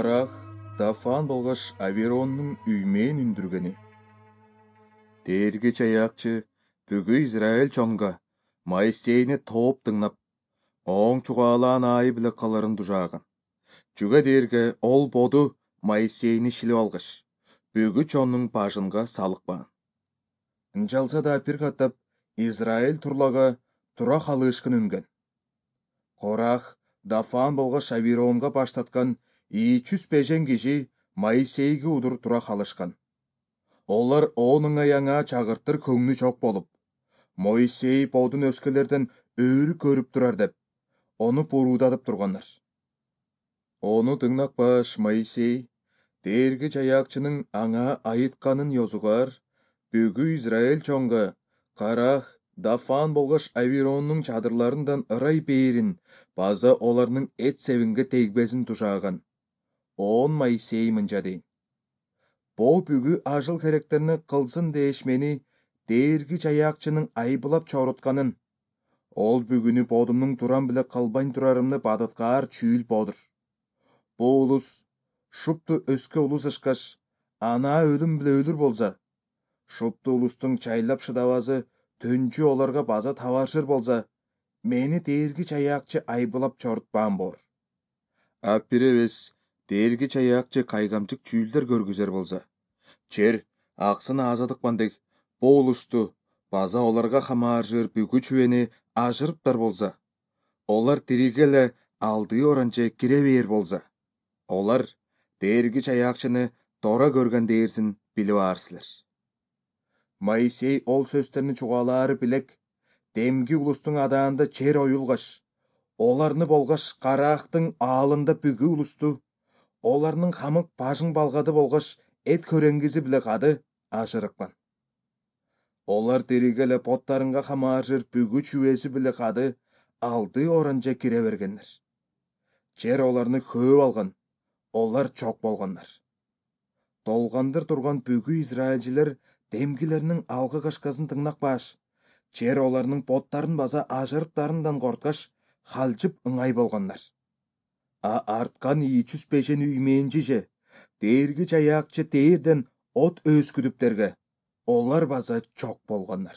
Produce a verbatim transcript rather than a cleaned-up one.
Карах, Дафан болгоч Авероннун үймөөн үндүргени. Дээрги чаякчы бүгү Израиль чоңга Моисейни тооп тыңнап, оң чугаалаан аайы биле каларын дужааган. Чүгө дээрге ол боду Моисейни шилип алгыч, бүгү чоннун башынга салыкпаан. Ынчалса да бир каттап Израиль турлага тура калышкын үнген. Корах, Дафан болгоч Аверонго баштаткан үч жүз бешен киши Моисейге удур тура калышкан. Олар онуң аяңа чагыртыр көңнү жок болуп, Моисей бодун өскөлөрдөн өрү көрүп турар деп, ону буруудатып тургандар. Ону тыңнакпаш Моисей, дээрги чаякчынын аңа айытканын ёзугар, бүгү Израиль чоңга Карах, Дафан болгоч Авероннун чадырларындан ырай бээрин база оларнын эт себинге тегбесин тушааган. Он Моисей мынча дейин: бо бүгү ажыл керектерини кылсын дээшмени дээрги чаякчынын айбылап чорутканын. Ол бүгүнү бодумнун турам биле калбайн турарымны бадыткаар чүүл бодур. Бу улус шупту өскө улус ышкаш, ана өлүм биле өлүр болса, шупту улустун чайлап шыдабазы төнчү оларга база табаршыр болса, мени дээрги чаякчы айбылап чорутпаан болор. А бир эбес дээрги чаякчы кайгамчык чүүлдөр көргүзөр болса, жер аксын азадыкман дег, бу улусту база оларга хамааржыр бүгү чүбени ажырыптар болса, олар тириге эле алдыы оранче кире бээр болса, олар дээрги чаякчыны тора көргөн дээрсин билип аар силер. Моисей ол сөздөрүнү чугаалаары билек, демги улустун адаанда жер оюлгаш, оларны болгош Карахтын аалында бүгү улусту, оларнын хамык башың балгады болгош эт көреңгизи биле кады ажырыккан. Олар тириге эле боттарынга хамааржыр бүгү чүбеси биле кады алдыы оранче кире бергеннер. Жер оларны көөп алган, олар чок болгоннар. Долгандыр турган бүгү израилчилер демгилеринин алгы кашкасын тыңнакпаш, жер оларнын боттарын база ажырыптарынан корткаш, халжып ыңай болгоннар. А арткан үч жүз бешен үймээнчи же дээрги чаякчы дээрден от өскүдүптерге олар база чок болгоннар.